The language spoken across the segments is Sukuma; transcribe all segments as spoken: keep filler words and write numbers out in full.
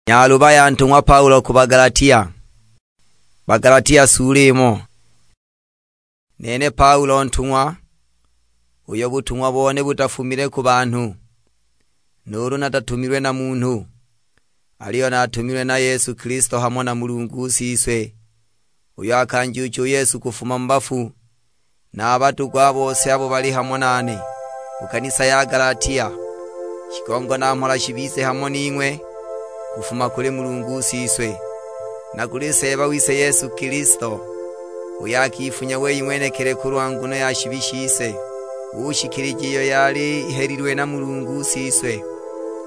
Nyaluba ya ntung'wa Paulo ku Bagalatia. Bagalatia sula imo. Nene Paulo ntung'wa, uyo butung'wa bone butafumile ku banhu, nuulu natatumilwe na munhu, aliyo natumilwe na Yesu Kilisto hamo na Mulungu Siswe, uyo akanjuucha u Yesu kufuma mu bafu, na a badugu a bose abo bali hamo nane ku kanisa ya Galatia. Shigongo na mhola shibize hamo ning'we kufuma kuli Mulungu Siswe, na kuli Seeba wise Yesu Kilisto, uyo akifunya wei ng'wenekili kulwa nguno ya shibi shise, ushikilija iyo yali ihelilwe na Mulungu Siswe,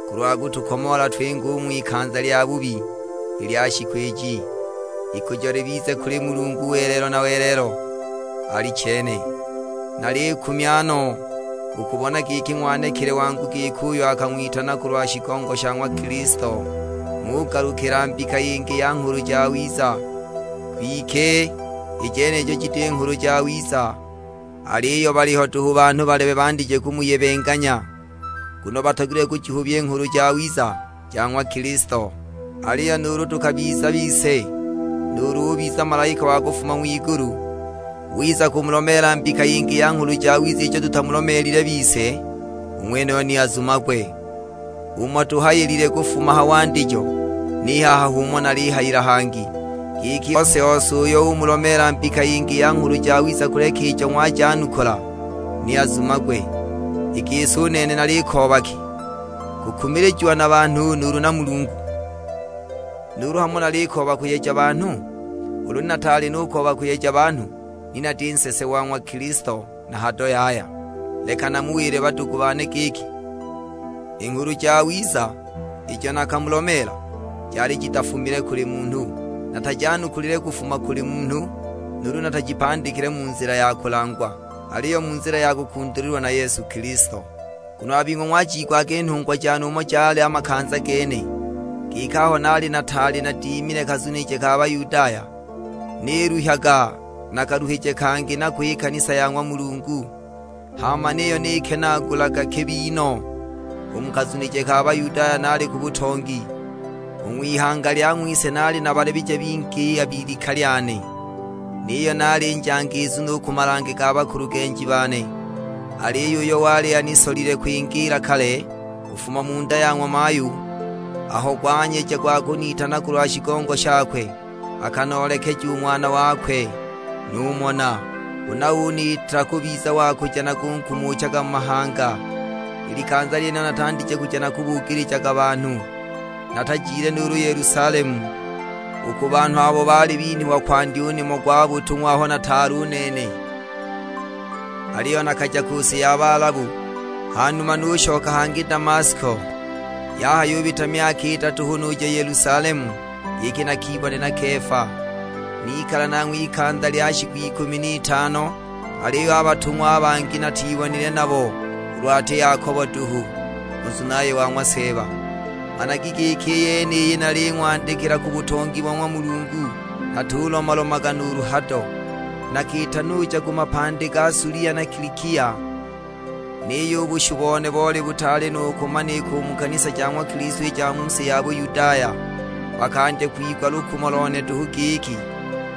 kulwa kutukomoola twinge u ng'wikanza lya bubi i lya shiku iji. Ikujo libize kuli Mulungu welelo na welelo. Alichene. Nalikumya no u kubona giki ng'wanekile wangu giki uyo akang'witana kulwa shigongo sha ng'wa Kilisto, ng'ugalukila mbika yingi ya Nghulu Jawiza. Kwike, i jenijo jiti Nghulu Jawiza, aliyo baliho duhu banhu balebe bandije kumuyebenganya, nguno batogilwe kujihubya i Nghulu Jawiza ja ng'wa Kilisto. Aliyo nuulu tukabiza bise, nuulu ubiza malaika wa kufuma ng'wigulu, wiza kumulomeela mbika yingi ya Nghulu Jawiza ijo tutamulomeelile bise, u ng'wenuyo ni azumagwe. Umo tuhayilile kufuma ha wandijo, ni haha h'umo nalihayila hangi, giki ose-ose uyo umulomeela mbika yingi ya Nghulu Jawiza kuleka ijo ng'wajanukula, ni azumagwe. I gisi u nene nalikooba ki? Kukumilijiwa na banhu nuulu na Mulungu? Nuulu hamo nalikooba kuyeja banhu? Ulu nataali nukooba kuyeja banhu, ni nati nsese wa ng'wa Kilisto na hado yaya. Leka namuwile badugu bane giki, i Nghulu Jawiza ijo nakamulomeela jali jitafumile kuli munhu, natajanukulile kufuma kuli munhu, nuulu natajipandikile mu nzila ya kulangwa, aliyo mu nzila ya kukundulilwa na Yesu Kilisto. Nguno a bing'we ng'wajiigwaga i nhungwa jane umo jali a makanza gene, giki aho naali nataali nadimile kazunije ka Bayudaya, niluhyaga na kaluhije kangi nako i kanisa ya ng'wa Mulungu, hama niyo nikenaagulaga kibi no. U mu kazunije ka Bayudaya naali ku butongi, u ng'wihanga lya ng'wise naali na balebije bingi a bilika lyane, niyo naali njangizu nu ku malange ga bakulugenji bane. Aliyo uyo wali anisolile kwingiila kale kufuma mu nda ya ng'wa mayu, aho gwanyeja gwa kunitana kulwa shigongo shakwe, akanoolekeja u Ng'wana wakwe, numona. Huna uniita kubiza wa kuja nakungumuchaga mu mahanga. I likanza lyenilo natandije kuja nakubuukilijaga banhu, natajile nuulu Yelusalemu, u ku banhu abo baali binhwa kwandya u nimo gwa butung'wa aho nataali u nene. Aliyo nakaja ku si ya Baalabu, hanuma nushoka hangi Damasko. Yahayubita myaka idatu hu nuja Yelusalemu, giki nakibone na Kefa. Nikala nanghwe ikanza lya shiku ikumi n'itano, aliyo a batung'wa a bangi natibonile nabo, ulu ati Yakobo duhu, u nzunaye wa ng'wa Seeba. Managi giki i yeniyi naling'wandikila ku butongi bo ng'wa Mulungu, natulomalomaga nuulu hado. Nakiita nuja ku mapandi ga Sulia na Kilikia, niyo u bushu bone boli butaali nu kumanika u mu kanisa ja ng'wa Kilisto i ja mu si ya Buyudaya. Bakandya kwigwa lukumo lone duhu giki,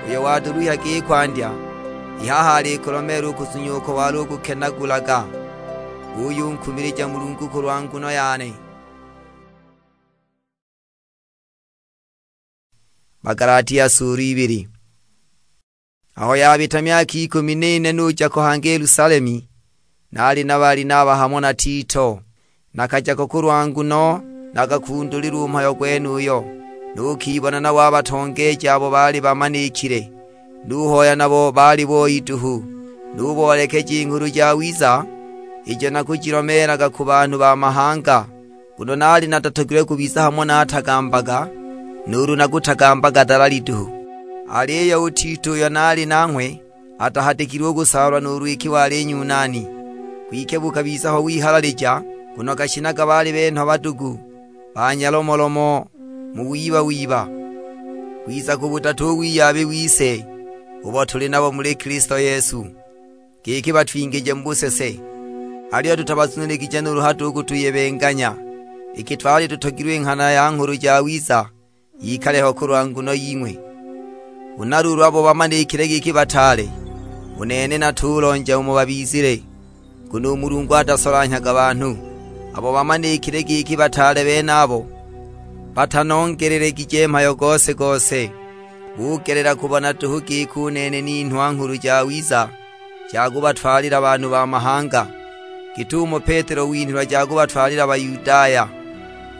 uyo watuluhyaga i kwandya, i haha alikulomeela u kuzunya uko wali ukukenagulaga. Uyunkumilija Mulungu kulwa nguno yane. Bagalatia sulu ibili. Aho yabita myaka ikumi n'ine nuja ko hangi Yelusalemi, naali na Balinaba hamo na Tito. Nakaja ko kulwa nguno nakakundulilwa u mhayo gwenuyo, nukibona nabo a batongeeji abo baali bamanikile, nuhoya nabo baali boi duhu. Nuboolekeja i Nghulu Jawiza ijo nakujilomeelaga ku banhu ba mahanga, nguno naali natatogilwe kubiza hamo natagambaga, nuulu nakutagambaga dalali duhu. Aliyo u Tito uyo naali nanghwe atahatikilwe u kusaalwa nuulu iki wali Nyunani, kwike bukabiza ho wihalalija, nguno gashinaga baali benhwa badugu, ba nyalomolomo, mu wiba-wiba. Kwiza ku budatu u wiyabi wise ubo tuli nabo muli Kilisto Yesu, giki batwingije mu busese, aliyo tutabazunuligije nuulu hado u kutuyebenganya. iki twali tutogilwe i nghana ya Nghulu Jawiza yikale ho kulwa nguno ying'we. Huna luulu abo bamanikile giki bataale, u nene natulonja umo babizile, nguno u Mulungu atasolanhyaga banhu. Abo bamanikile giki bataale benabo batanongelelegije mhayo gose-gose, bugelela kubona duhu giki u nene ninhwa Nghulu Jawiza ja kubatwalila banhu ba mahanga, git'umo Petelo winhilwa ja kubatwalila Bayudaya.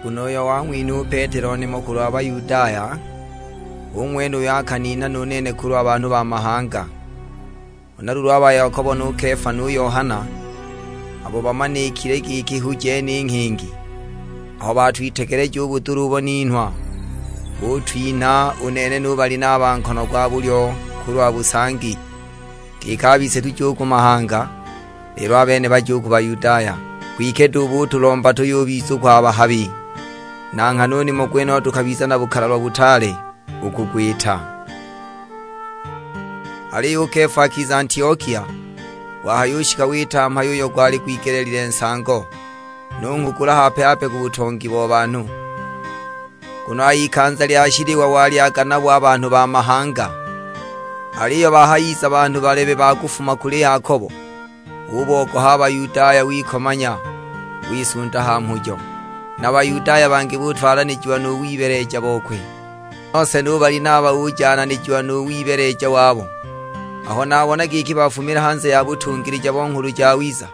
Nguno uyo wang'winha u Petelo nimo kulwa Bayudaya, hu ng'wene uyo akaninha nu nene kulwa banhu ba mahanga. Huna luulu a ba Yakobo nu Kefa nu Yohana, abo bamanikile giki hu jene i nghingi, aho batwitegeleja u budula ubo ninhwa, butwinha u nene nu Balinaba nkono gwa bulyo kulwa busangi, giki a bise tuje u ku mahanga, lelo a bene baje u ku Bayudaya. Kwike duhu butulomba tuyubiza u kwa bahabi, na nghana u nimo gwenuyo tukabiza na bukalalwa butaale u kugwita. Aliyo u Kefa akiza Antiokia, wahayushika wita mhayo uyo gwali gwigeleelile nsango, nunghugula hape-hape ku butongi bo banhu. Nguno a ikanza lya shiliwa walyaga nabo a banhu ba mahanga. Aliyo bahayiza banhu balebe ba kufuma kuli Yakobo, ubogoha a Bayudaya, wikomanya, wisunda ha mhujo. Na Bayudaya bangi butwalanijiwa nu wibeleja bokwe, nose nu Balinaba ujananijiwa nu wibeleja wabo. Aho nabona giki bafumile hanze ya butungilija bo Nghulu Jawiza,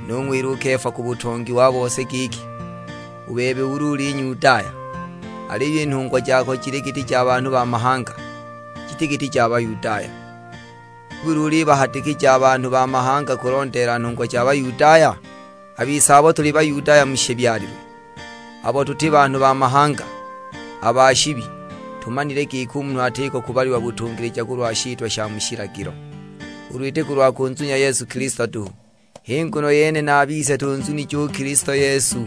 nung'wila u Kefa ku butongi wa bose giki, "U bebe ulu uli Nyudaya, aliyo i nhungwa jako jili giti ja banhu ba mahanga, jiti giti ja Bayudaya. Nibuli ulibahatikija a banhu ba mahanga kulondeela nhungwa ja Bayudaya? A bise abo tuli Bayudaya mu shibyalilwe, abo tuti banhu ba mahanga, a ba shibi, tumanile giki u munhu atiko kubalilwa butungilija kulwa shitwa sha mu shilagilo, ulu iti kulwa kunzunya Yesu Kilisto duhu." H'i nguno yene na a bise tunzunije u Kilisto Yesu,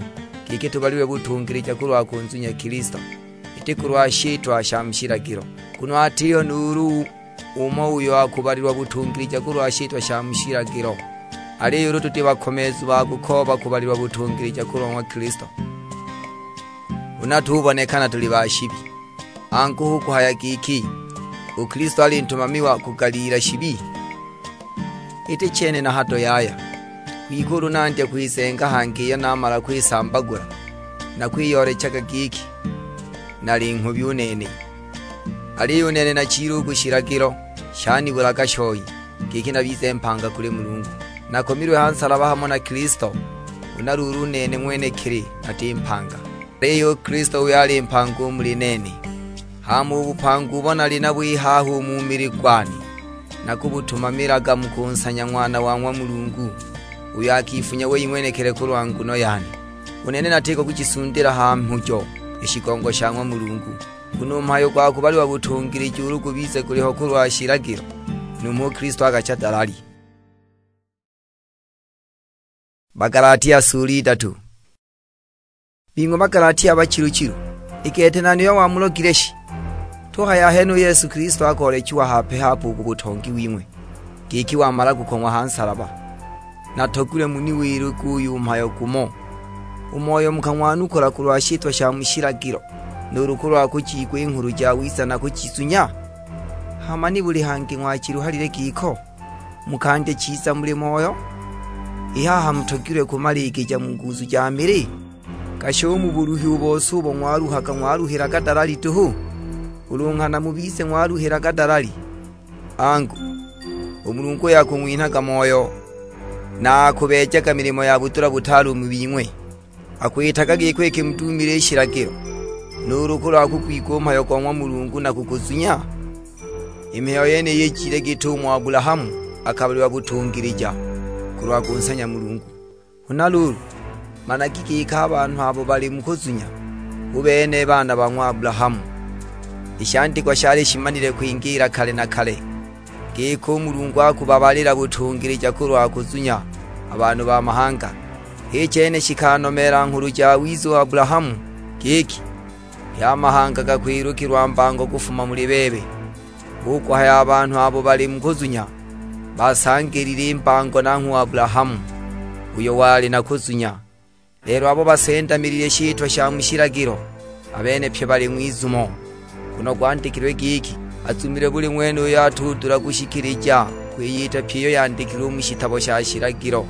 giki tubalilwe butungilija kulwa kunzunya Kilisto, iti kulwa shitwa sha mu shilagilo. Nguno atiho nuulu umo uyo akubalilwa butungilija kulwa shitwa sha mu shilagilo. Aliyo ulu tuti bakomeezu ba kukooba kubalilwa butungilija kulwa ng'wa Kilisto, huna tubonekana tuli ba shibi. Angu, hu kuhaya giki, u Kilisto ali ntumami wa kugaliila shibi? Iti chene na hado yaya! Kwike ulu nandya kwizenga hangi iyo namala kwisambagula, nakwiyoolechaga giki nali nghubi u nene. Aliyo u nene nachile u ku shilagilo, shanibulaga shoi, giki nabize mpanga kuli Mulungu. Nakomilwe ha nsalaba hamo na Kilisto, huna luulu u nene ng'wenekili nati mpanga, aliyo u Kilisto uyo ali mpanga u muli nene. Hama u bupanga ubo nali nabo i haha u mu mili gwane, nakubutumamilaga mu kunsanya Ng'wana wa ng'wa Mulungu, uyo akifunya wei ng'wenekili kulwa nguno yane. U nene natiko kujisundila ha mhujo i shigongo sha ng'wa Mulungu, nguno u mhayo gwa kubaliwa butungilija ulu gubize guliho kulwa shilagilo, numho u Kilisto akacha dalali. Bagalatia sula idatu. Bing'we Bagalatia bachilu-chilu, i gete nani uyo wamulogile shi? Tuhaya ahene u Yesu Kilisto akoolechiwa hape-hape u ku butongi wing'we, giki wamala kukong'wa ha nsalaba. Natogilwe muniwiluge uyu mhayo gumo, u Moyo mukang'wanukula kulwa shitwa sha mu shilagilo, nuulu kulwa kujiigwa i Nghulu Jawiza na kujizunya? Hama ni buli hangi ng'wachiluhalile giko? Mukandya chiza muli Moyo, i haha mutogilwe kumaligija mu nguzu ja mili? Gashi u mu buluhi u bose ubo ng'waluhaga ng'waluhilaga dalali duhu? Ulu nghana mubize ng'waluhilaga dalali? Angu, u Mulungu uyo akung'winhaga Moyo, na akubeejaga milimo ya budula butaale u mu bing'we, akwitaga giko iki mudumile i shilagilo, nuulu kulwa kugwigwa u mhayo go ng'wa Mulungu na kuguzunya? I mihayo yeniyi ijile git'umo Abulahamu akabalilwa butungilija kulwa kunsanya Mulungu. Huna luulu, managi giki a banhu abo bali mu kuzunya, hu bene baana ba ng'wa Abulahamu. I shandikwa shali shimanile kwingiila kale na kale, giki u Mulungu akubabalila butungilija kulwa kuzunya a banhu ba mahanga. H'i chene shikanomeela Nghulu Jawiza u Abulahamu, giki, "Pye a mahanga gakwilukilwa mbango kufuma muli bebe." Hu kuhaya a banhu abo bali mu kuzunya, basangilile i mbango nanghwe u Abulahamu, uyo wali na kuzunya. Lelo abo basendamilile shitwa sha mu shilagilo, a bene pye bali ng'wizumo. Nguno gwandikilwe giki, "Azumilwe buli ng'wene uyo atudula kushikilija kwiyita pyi iyo yandikilwe u mu shitabo sha shilagilo."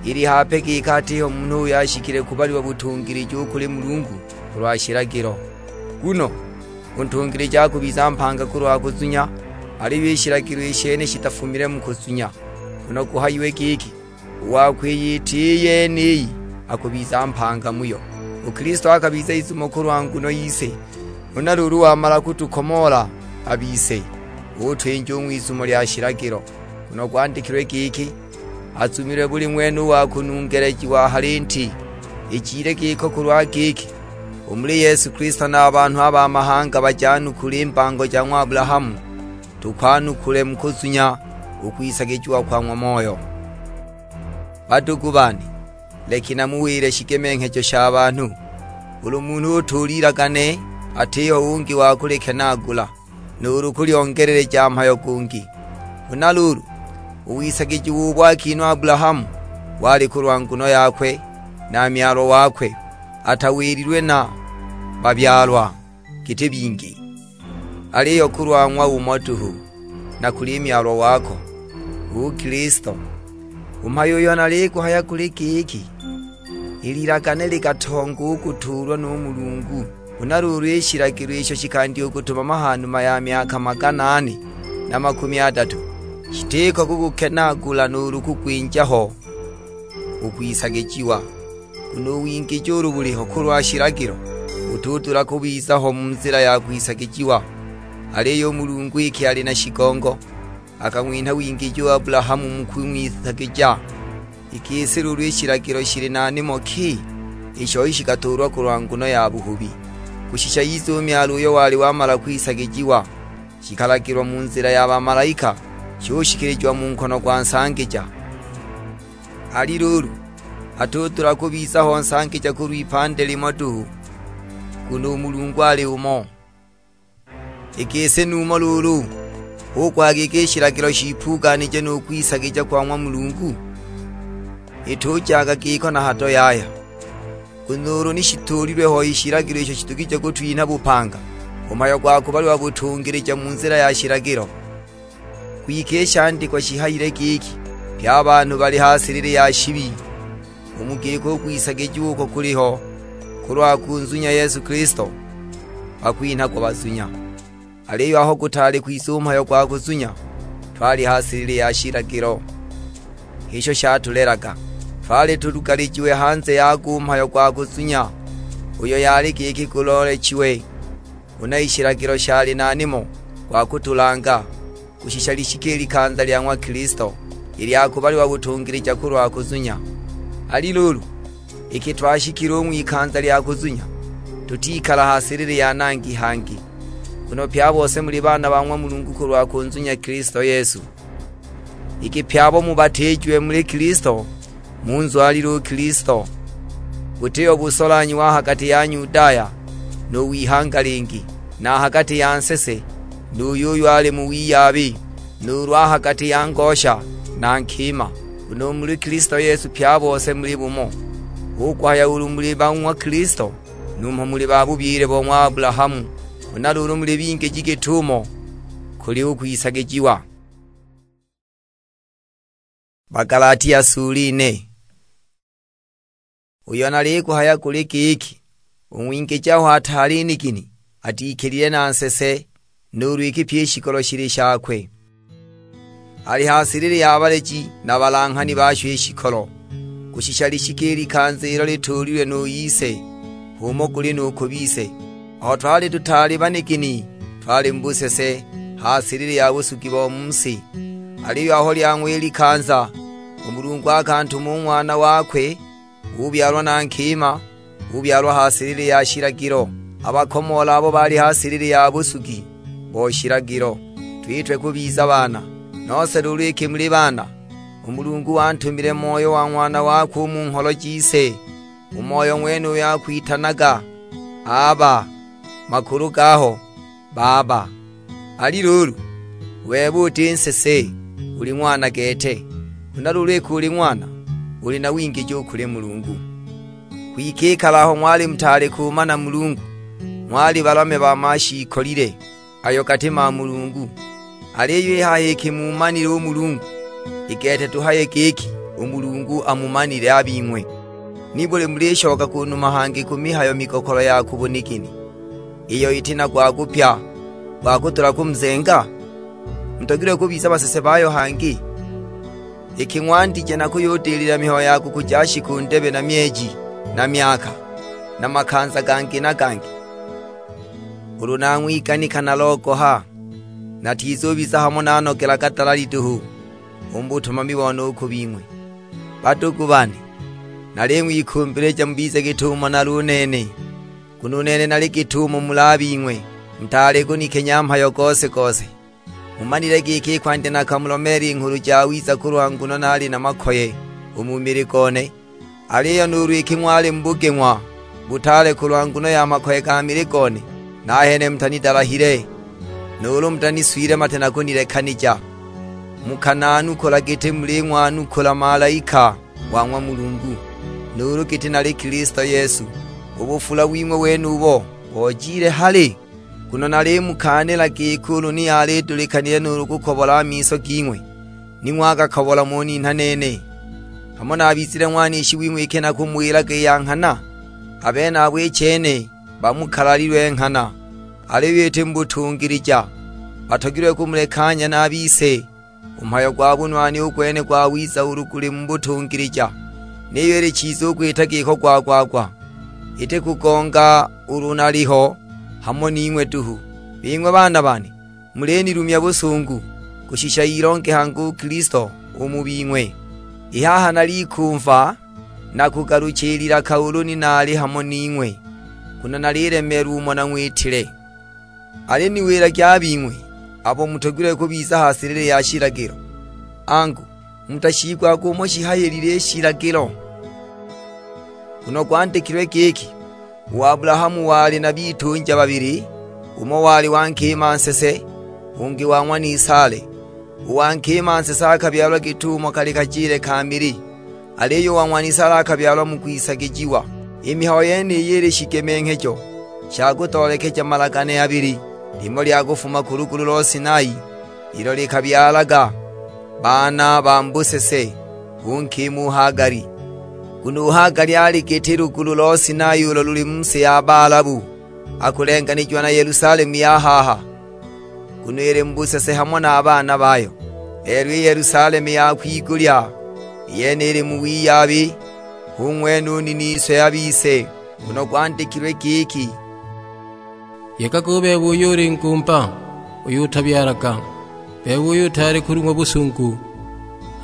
Ili hape giki atiho munhu uyo ashikile kubalilwa butungilija u kuli Mulungu kulwa shilagilo. Nguno u ntungilija akubiza mpanga kulwa kuzunya, aliyo i shilagilo i shene shitafumile mu kuzunya. Nguno guhayiwe giki, "U wa kwiyita i yeniyi akubiza mpanga muyo." U Kilisto akabiza izumo kulwa nguno yise, huna luulu wamala kutukomoola a bise, utwinja u ng'wizumo lya shilagilo. Nguno gwandikilwe giki, "Azumilwe buli ng'wene u wa kunungelejiwa ha linti." Ijile giko kulwa giki, u muli Yesu Kilisto na a banhu a ba mahanga bajanukule i mbango ja ng'wa Abulahamu, tukwanukule mu kuzunya u kwisagijiwa kwa ng'wa Moyo. Badugu bane, leki namuwile shigemenghejo sha banhu. Ulu munhu utuula ilagane, atiho ungi wa kulikenaagula, nuulu kulyongeleleja mhayo gungi. Huna luulu, u wisagijiwa ubo akinhwa Abulahamu wali kulwa nguno yakwe na myalwa wakwe, atawililwe na babyalwa giti bingi, aliyo kulwa ng'wa umo duhu, na kuli myalwa wako, hu Kilisto. U mhayo uyo naliguhaya guli giki, i lilagane likatonga u kutuulwa nu Mulungu. Huna luulu i shilagilo isho shikandya u kutumama ha numa ya myaka magana ane na makumi adatu, shitiko kugukenaagula nuulu kugwinja ho u kwisagijiwa. Nguno u wingiji ulu buliho kulwa shilagilo, butudula kubiza ho mu nzila ya kwisagijiwa. Aliyo u Mulungu iki ali na shigongo, akang'winha wingiji u Abulahamu mu kung'wisagija. I gisi luulu i shilagilo shili na nimo ki isho shikatuulwa kulwa nguno ya buhubi, kushisha yize u myalwa uyo wali wamala kwisagijiwa, shikalagilwa mu nzila ya bamalaika, shushikilijiwa mu nkono gwa nsangija? Ali luulu, atudula kubiza ho nsangija kulw'ipande limo duhu, nguno u Mulungu ali umo. I gisi numho luulu, hu kuhaya giki i shilagilo shipuuganije nu kwisagija kwa ng'wa Mulungu? Itujaga giko na hado yaya! Nguno ulu ni shituulilwe ho i shilagilo isho shidugije kutwinha bupanga, u mhayo gwa kubalilwa butungilija mu nzila ya shilagilo, kwike i shandikwa shihayile giki, "Pye a banhu bali ha silili ya shibi." U mu giko u kwisagijiwa uko kuliho kulwa kunzunya Yesu Kilisto, bakwinhagwa bazunya. Aliyo aho gutaali kwiza u mhayo gwa kuzunya, twali ha silili ya shilagilo, h'isho shatulelaga. Twali tulugalijiwe hanze yago u mhayo gwa kuzunya, uyo yali giki guloolechiwe. Huna i shilagilo shali na nimo gwa kutulanga, kushisha lishike i likanza lya ng'wa Kilisto, i lya kubalilwa butungilija kulwa kuzunya. Ali luulu, iki twashikile u ng'wikanza lya kuzunya, tutikala ha silili ya nangi hangi, nguno pye a bose muli baana ba ng'wa Mulungu kulwa kunzunya Kilisto Yesu. Iki pye abo mubatiijiwe muli Kilisto, munzwalile u Kilisto. Butiho busolanhi wa ha gati ya Nyudaya nu w'ihanga lingi, na a ha gati ya nsese nu yuyo ali mu wiyabi, nuulu a ha gati ya ngosha na nkima, nguno u muli Kilisto Yesu pye a bose muli bumo. Hu kuhaya ulu muli ba ng'wa Kilisto, numho muli ba bubyile bo ng'wa Abulahamu, huna luulu muli bingiji git'umo kuli u kwisagijiwa. Bagalatia sula ine. Uyo naliguhaya guli giki, u ng'wingiji aho ataali nigini, atikilile na nsese, nuulu iki pyi i shikolo shili shakwe. Ali ha silili ya baleji na balanghani basho i shikolo, kushisha lishike i likanza ilo lituulilwe nu ise, h'umo guli nu ku bise. Aho twali tutaali banigini, twali mu busese, ha silili ya busugi bo mu si. Aliyo aho lyang'wa i likanza, u Mulungu akantuma u Ng'wana wakwe, ubyalwa na nkima, ubyalwa ha silili ya shilagilo. A bakomoola abo baali ha silili ya busugi bo shilagilo, twitwe kubiza baana. Nose luulu iki muli baana, u Mulungu wantumile Moyo wa Ng'wana wakwe u mu ngholo jise. U Moyo ng'wenuyo akwitanaga, "Aba, makulu gaho, Baba." Ali luulu, u bebe uti nsese, uli ng'wana gete. Huna luulu iki uli ng'wana, uli na wingiji u kuli Mulungu. Kwike i kale aho ng'wali mutaali kumana Mulungu, ng'wali balame ba mashiikolile ayo gati ma Mulungu. Aliyo i haha iki mumanile u Mulungu, i gete tuhaye giki u Mulungu amumanile a bing'we. Nibuli mulishoka ku numa hangi ku mihayo migokolo ya ku bunigini, iyo iti na gwa kupya gwa kudula kumuzenga? Mutogilwe kubiza basese bayo hangi, iki ng'wandije na kuyudilila mihayo ya kukuja shiku ndebe na myeji na myaka, na makanza gangi na gangi. Ulu nang'wiganika nalogoha, natizubiza hamo nanogelaga dalali duhu u mu butumami bone u ku bing'we. Badugu bane, naling'wikumbilija mubize git'umo nali u nene, nguno u nene nali git'umo muli a bing'we, mutaali kunikenya mhayo gose-gose. Mumanile giki i kwandya nakamulomeela i Nghulu Jawiza kulwa nguno naali na makoye u mu mili gone. Aliyo nuulu iki ng'wali mu bugeng'wa butaale kulwa nguno ya makoye ga mili gone, nahene mutanidalahile, nuulu mutaniswile mate na kunilekanija. Mukananukula giti muling'wanukula malaika wa ng'wa Mulungu, nuulu giti nali Kilisto Yesu. U bufula wing'we wenubo bojile hali? Nguno nalimukaanila giki ulu ni yalidulikanile nuulu kukobola a miso ging'we, ni ng'wagakobola muninha nene, hamo nabizile ng'wanishi wing'we iki nakumuwilaga i ya nghana. A benabo i chene bamukalalilwe nghana, aliyo iti mu butungilija, batogilwe kumulekanya na a bise. U mhayo gwa bunwani u gwene gwawiza ulu guli mu butungilija, niyo ili chiza u kwita giko gwa-gwa-gwa, iti kugonga ulu naliho hamo ning'we duhu. Bing'we baana bane, mulinilumya busungu, kushisha ilonge hangi u Kilisto u mu bing'we. I haha nalikumva nakugalucha i lilaka ulu ni naali hamo ning'we, nguno nalilemeelwa umo nang'witile. Aliniwilagi a bing'we abo mutogilwe kubiza ha silili ya shilagilo, angu, mutashiigwaga umo shihayilile i shilagilo? Nguno gwandikilwe giki, "U Abulahamu wali na bitunja babili, umo wali wa nkima nsese, ungi wa ng'wa Nisale." U wa nkima nsese akabyalwa git'umo kali kajile ka mili, aliyo u wa ng'wa Nisale akabyalwa mu kwisagijiwa. I mihayo yeniyi ili shigemenghejo sha kutoolekeja malagane abili, limo lya kufuma ku lugulu lo Sinai, ilo likabyalaga baana ba mu busese, hu nkima u Hagali. Nguno u Hagali ali giti lugulu lo Sinai ulo luli mu si ya Baalabu, akulenganijiwa na Yelusalemu ya haha, nguno ili mu busese hamo na a baana bayo. Lelo i Yelusalemu ya kwigulya, i yene ili mu wiyabi, hu ng'wene u niniso ya bise, nguno gwandikilwe giki, "Yegaga u bebe uyo uli ngumba, uyo utabyalaga, bebe uyo utaali kulung'wa busungu,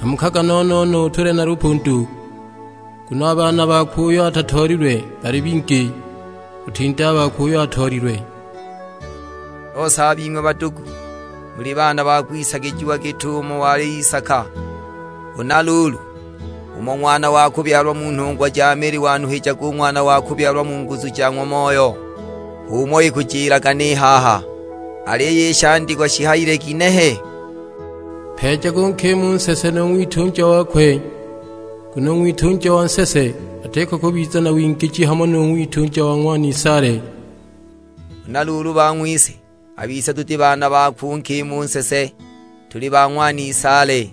hamukaga no-no-no utule na lupundu, nguno a baana bakwe uyo atatoolilwe bali bingi, kutinda a bakwe uyo atoolilwe." Nose a bing'we badugu, muli baana ba kwisagijiwa git'umo wali Isaka. Huna luulu, umo ng'wana wa kubyalwa mu nhungwa ja mili wanuhijaga u ng'wana wa kubyalwa mu nguzu ja ng'wa Moyo, h'umo ikujilaga ni haha. Aliyo i shandikwa shihayile ginehe? "Mpeejage u nkima u nsese nu ng'witunja wakwe, nguno u ng'witunja wa nsese atiko kubiza na wingiji hamo nu ng'witunja wa ng'wa Nisale." Huna luulu bang'wise, a bise tuti baana bakwe u nkima u nsese, tuli ba ng'wa Nisale.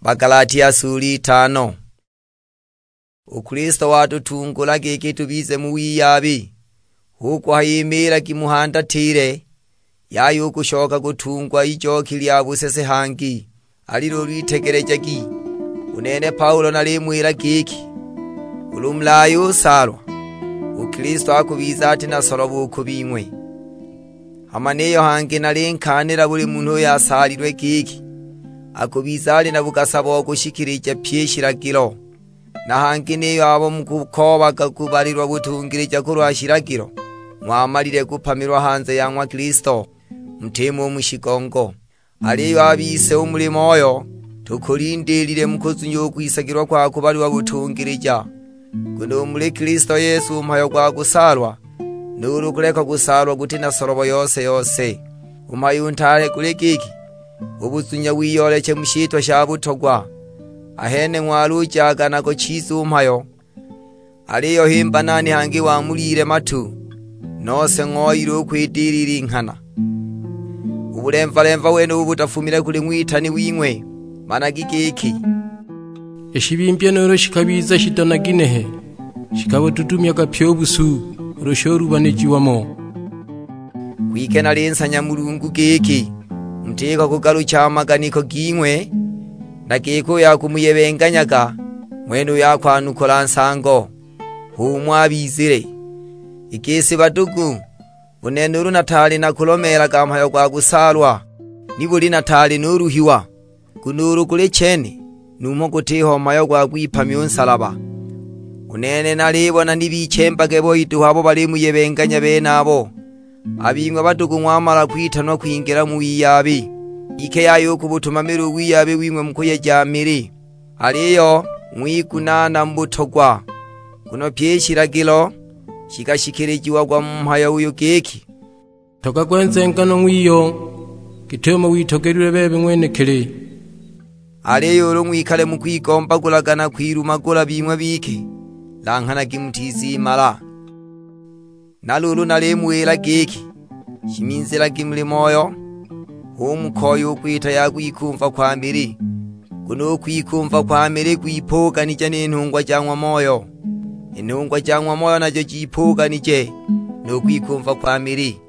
Bagalatia sula itano. U Kilisto watutungula giki tubize mu wiyabi, hu kuhaya imiilagi muhandatile, yaya u kushoka kutungwa i joki lya busese hangi. Ali luulu itegelejagi, u nene Paulo nalimuwila giki, ulu mulayusaalwa, u Kilisto akubiza ati na solobo u ku bing'we. Hama niyo hangi nalinkaanila buli munhu uyo asaalilwe giki, akubiza ali na bugasa bo kushikilija pyi i shilagilo. Na hangi niyo abo mukukoobaga kubalilwa butungilija kulwa shilagilo, ng'wamalile kupamilwa hanze ya ng'wa Kilisto, mutimo u mu shigongo. Aliyo a bise u muli Moyo tukulindiilile mu kuzunya u kwisagilwa kwa kubalilwa butungilija. Nguno u muli Kilisto Yesu u mhayo gwa kusaalwa, nuulu kuleka kusaalwa guti na solobo yose-yose. U mhayo u ntaale guli giki, u buzunya wiyooleche mu shitwa sha butogwa, Ahene ng'walujaga nago chiza u mhayo, aliyo himba nani hangi wamuliile matu? Nose ng'oyile u kwidilila i nghana. U bulemva-lemva wenubu butafumile kuli ng'witani wing'we. Managi giki, "I shibimbya nuulu shikabiza shido na ginehe, shikabututumyaga pyi u busu ulu shulubanijiwa mo." Kwike nalinsanya Mulungu giki, mutiko kugalucha a maganiko ging'we, na giki uyo akumuyebenganyaga, ng'wenuyo akwanukula nsango. H'umo abizile. I gisi badugu, u nene ulu nataali nakulomeelaga mhayo gwa kusaalwa, nibuli nataali nuluhiwa? Nguno ulu guli chene, numho gutiho mhayo gwa gwipamya u nsalaba. U nene nalibona ni bichembage boi duhu abo balimuyebenganya benabo. A bing'we badugu ng'wamala kwitanwa kwingila mu wiyabi, kwike yaya u ku butumamili u wiyabi wing'we mu kuyeja mili, aliyo ng'wigunaana mu butogwa. Nguno pyi i shilagilo shikashikilijiagwa mu mhayo uyu giki, "Ntogagwe nzenganwa ng'wiyo, git'umo witogelilwe bebe ng'wenekili." Aliyo ulu ng'wikale mu kwigombagulaga na kwilumagula bing'we bike, langhanagi mutizimala. Na luulu nalimuwila giki, shiminzilagi muli Moyo, hu mukoye u kwita ya kwikumva kwa mili. Nguno u kwikumva kwa mili gwipuuganije ni nhungwa ja ng'wa Moyo, i nhungwa ja ng'wa Moyo najo jipuuganije nu kwikumva kwa mili.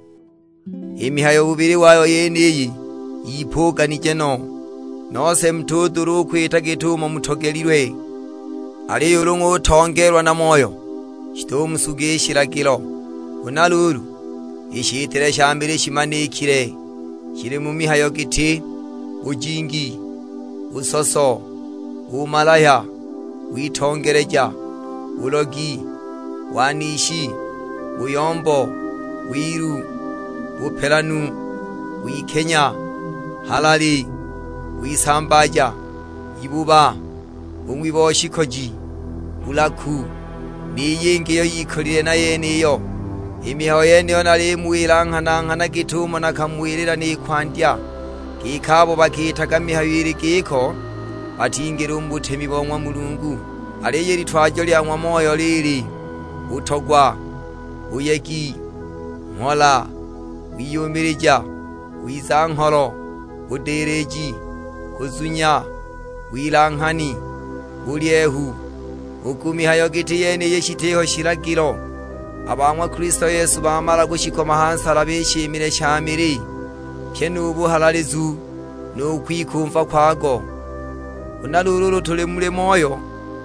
I mihayo bubili wayo yeniyi yipuuganije no, nose mutudula u kwita git'umo mutogelilwe. Aliyo ulu ng'utongeelwa na Moyo, shitumusuga i shilagilo. Huna luulu, i shitile sha mili shimanikile, shili mu mihayo giti, bujingi, busoso, bumalaya, witongeleja, bulogi, wanishi, buyombo, wilu, bupelanu, wikenya, halali, wisambaaja, ibuba, bung'wi bo shikoji, bulaku, ni yingi iyo yikolile na yeniyo. I mihayo yeniyo nalimuwila nghana-nghana git'umo nakamuwilila ni kwandya, giki abo bakiitaga mihayo ili giko batingila u mu butemi bo ng'wa Mulungu. Aliyo i litwajo lya ng'wa Moyo lili, butogwa, buyegi, mhola, wiyumilija, wiza-ngholo, budiliji, kuzunya, wilanghani, bulyehu. U ku mihayo giti yeniyi shitiho shilagilo. A ba ng'wa Kilisto Yesu bamala kushikoma ha nsalaba i shimile sha mili, pyi nu buhalalizu, nu kwikumva kwago. Huna luulu ulu tuli muli Moyo,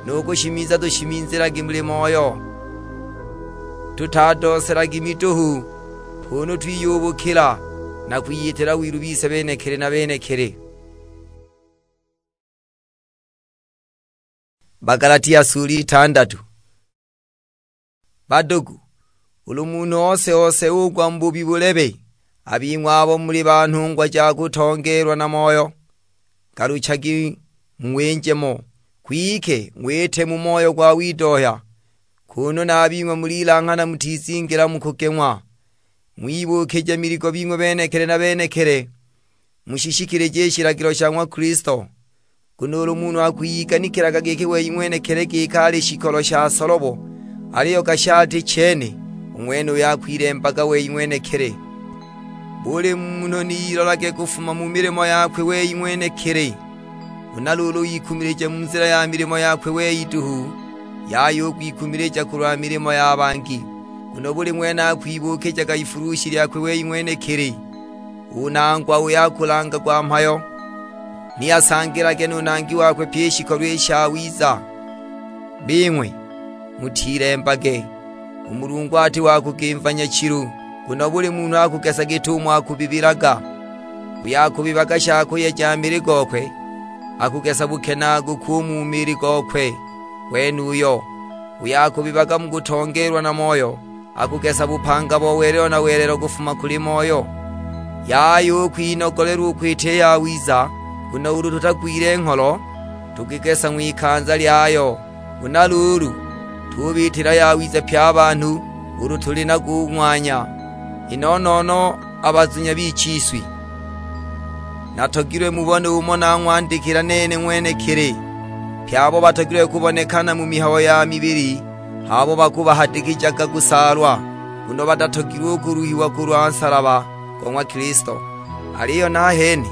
nu kushimiza tushiminzilagi muli Moyo, tutadooselagi miduhu, kunu twiyubukila na kwiyitila wilu bise benekili na benekili. Bagalatia sula itandatu. Badugu, ulu munhu ose-ose ugwa mu bubi bulebe, a bing'we abo muli ba nhungwa ja kutongeelwa na Moyo, galuchagi mu winje mo, kwike ng'wite mu moyo gwa widohya, kunu na a bing'we mulilanghana mutizingila mu kugeng'wa. Ng'wibukije miligo bing'we benekili na benekili, mushishikilije i shilagilo sha ng'wa Kilisto. Nguno ulu munhu akwiyiganikilaga giki wei ng'wenekili giki ali shikolo sha solobo, aliyo gashati chene, u ng'wenuyo akwilembaga wei ng'wenekili. Buli munhu ni ilolage kufuma mu milimo yakwe wei ng'wenekili. Huna luulu ikumilije mu nzila ya milimo yakwe wei duhu, yaya u kwikumilija kulwa milimo ya bangi. Nguno buli ng'wene akwibuukijaga ifulushi lyakwe wei ng'wenekili. U nangwa uyo akulangagwa mhayo, ni asangilage nu nangi wakwe pyi i shikolo i shawiza. Bing'we, mutilembage, u Mulungu ati wa kugimva nyachilu, nguno buli munhu akugesa git'umo akubibilaga. Uyo akubibaga sha kuyeja mili gokwe, akugesa bukenaaguku u mu mili gokwe wenuyo. Uyo akubibaga mu kutongeelwa na Moyo, akugesa bupanga bo welelo na welelo kufuma kuli Moyo. Yaya u kwinogolelwa u kwita i yawiza, nguno ulu tutagwile ngholo, tukigesa ng'wikanza lyayo. Huna luulu, tubiitila yawiza pye a banhu ulu tuli nago u ng'wanya, i no-no-no a bazunya b'ichiswi. Natogilwe mubone umo nang'wandikila nene ng'wenekili. Pye abo batogilwe kubonekana mu mihayo ya mibili, h'abo bakubahadikijaga kusaalwa, nguno batatogilwe u kuluhiwa kulwa nsalaba go ng'wa Kilisto. Aliyo nahene,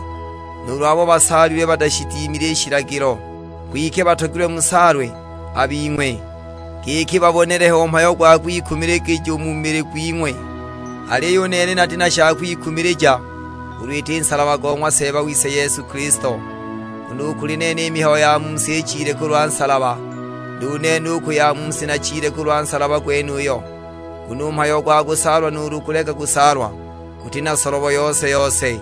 nuulu abo basaalilwe batashidimile i shilagilo, kwike batogilwe musaalwe a bing'we, giki babonelehe u mhayo gwa kwikumiligija u mu mili gwing'we. Aliyo u nene nati na sha kwikumilija, ulu iti nsalaba go ng'wa Seeba wise Yesu Kilisto. Nguno u kuli nene i mihayo ya mu si ichile kulwa nsalaba, nu nene u ku ya mu si nachile kulwa nsalaba gwenuyo. Nguno u mhayo gwa kusaalwa nuulu kuleka kusaalwa, guti na solobo yose-yose.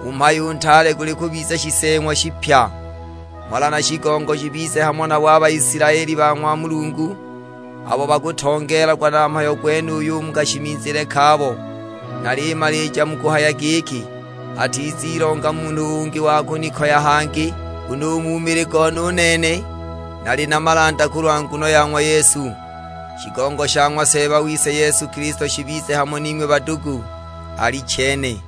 U mhayo u ntaale guli kubiza shiseeng'wa shipya. Mhola na shigongo shibize hamo nabo a Baisilaeli ba ng'wa Mulungu, abo bakutongeelagwa na mhayo gwenuyu u mu kashimizile kabo. Nalimalija mu kuhaya giki, atizilonga munhu ungi wa kunikoya hangi, nguno u mu mili gone u nene nali na malanda kulwa nguno ya ng'wa Yesu. Shigongo sha ng'wa Seeba wise Yesu Kilisto shibize hamo ning'we badugu. Alichene.